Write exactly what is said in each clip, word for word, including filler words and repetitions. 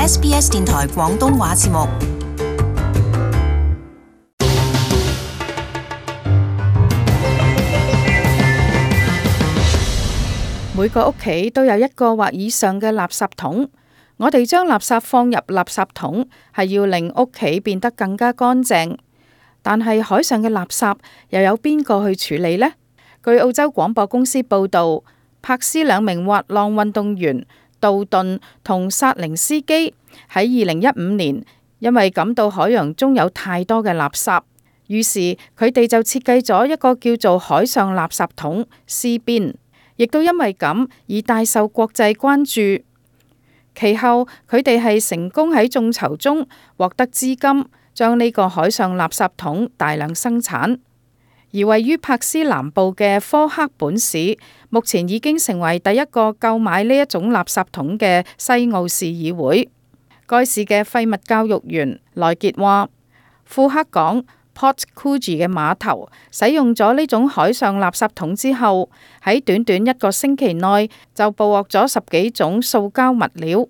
S B S 電台廣東話節目。每個屋企都有一個或以上嘅垃圾桶。我哋將垃圾放入垃圾桶，係要令屋企變得更加乾淨。但係海上嘅垃圾又有邊個去處理呢？據澳洲廣播公司報導，柏斯兩名滑浪運動員杜頓同薩寧斯基喺二零一五年，因為感到海洋中有太多嘅垃圾，於是佢哋就設計咗一個叫做海上垃圾桶 Sea Bin， 亦都因為咁而大受國際關注。其後佢哋係成功喺眾籌中獲得資金，將呢個海上垃圾桶大量生產。而位於柏斯南部嘅科克本市，目前已經成為第一個購買呢一種垃圾桶嘅西澳市議會。該市嘅廢物教育員萊傑話，庫克港 Port Coogee 嘅碼頭使用咗呢種海上垃圾桶之後，喺短短一個星期內就捕獲咗十幾種塑膠物料。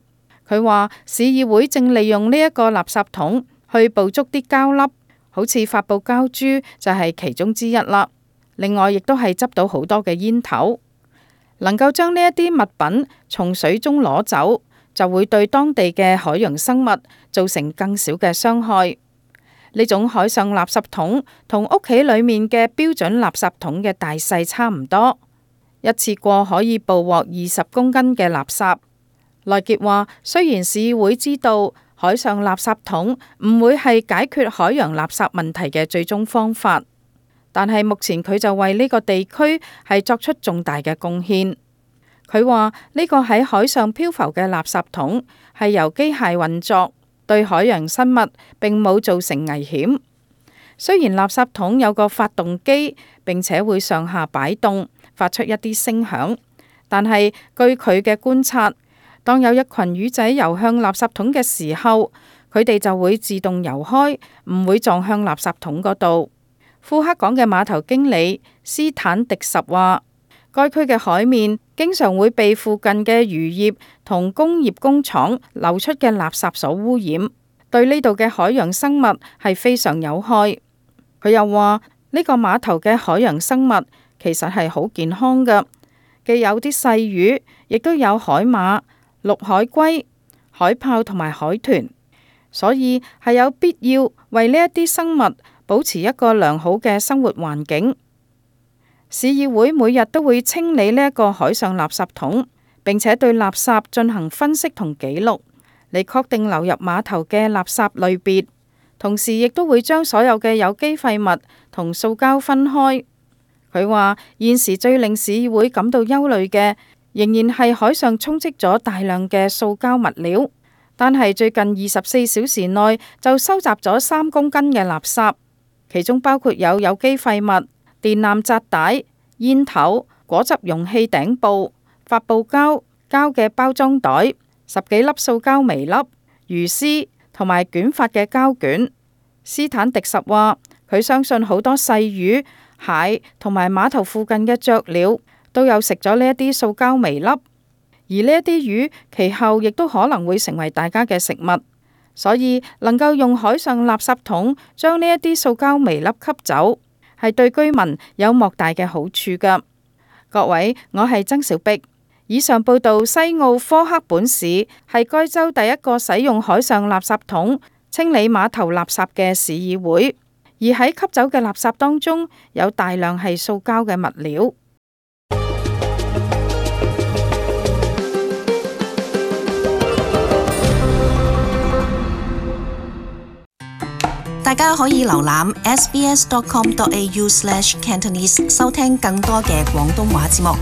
佢話市議會正利用呢一個垃圾桶去捕捉啲膠粒，好似發泡膠珠就係其中之一啦。另外亦都係執到好多嘅煙頭，能夠將呢一啲物品從水中攞走，就會對當地嘅海洋生物造成更少嘅傷害。呢種海上垃圾桶同屋企裏面嘅標準垃圾桶嘅大細差唔多，一次過可以捕獲二十公斤嘅垃圾。萊傑話，雖然市議會知道海上垃圾桶唔會係解決海洋垃圾問題嘅最終方法，但係目前佢就為呢個地區係作出重大嘅貢獻。佢話呢個喺海上漂浮嘅垃圾桶係由機械運作，對海洋生物並冇造成危險。雖然垃圾桶有個發動機，並且會上下擺動，發出一啲聲響，但係據佢嘅觀察，當有一群魚仔游向垃圾桶嘅時候，佢哋就會自動游開，唔會撞向垃圾桶嗰度。庫克港嘅碼頭經理斯坦迪什話，該區嘅海面經常會被附近嘅漁業同工業工廠流出嘅垃圾所污染，對呢度嘅海洋生物係非常有害。佢又話呢個碼頭嘅海洋生物其實係好健康㗎，既有啲細魚，亦都有海馬、綠海龜、海豹同埋海豚，所以係有必要為呢一啲生物保持一個良好嘅生活環境。市議會每日都會清理呢一個海上垃圾桶，並且對垃圾進行分析同記錄，嚟確定流入碼頭嘅垃圾類別，同時亦都會將所有嘅有機廢物同塑膠分開。佢話現時最令市議會感到憂慮嘅，仍然係海上充斥咗大量嘅塑膠物料，但係最近二十四小時內就收集咗三公斤嘅垃圾，其中包括有有機廢物、電纜紮帶、煙頭、果汁容器頂部、發泡膠、膠嘅包裝袋、十幾粒塑膠微粒、魚絲同埋捲發嘅膠卷。斯坦迪什話，佢相信好多細魚、蟹同埋碼頭附近嘅雀鳥都有食咗呢一啲塑膠微粒，而呢一啲魚其後亦都可能會成為大家嘅食物，所以能夠用海上垃圾桶將呢一啲塑膠微粒吸走，係對居民有莫大嘅好處噶。各位，我係曾小碧，以上報道西澳科克本市係該州第一個使用海上垃圾桶清理碼頭垃圾嘅市議會，而喺吸走嘅垃圾當中有大量係塑膠嘅物料。大家可以瀏覽 s b s dot com dot a u slash cantonese 收聽更多嘅廣東話節目。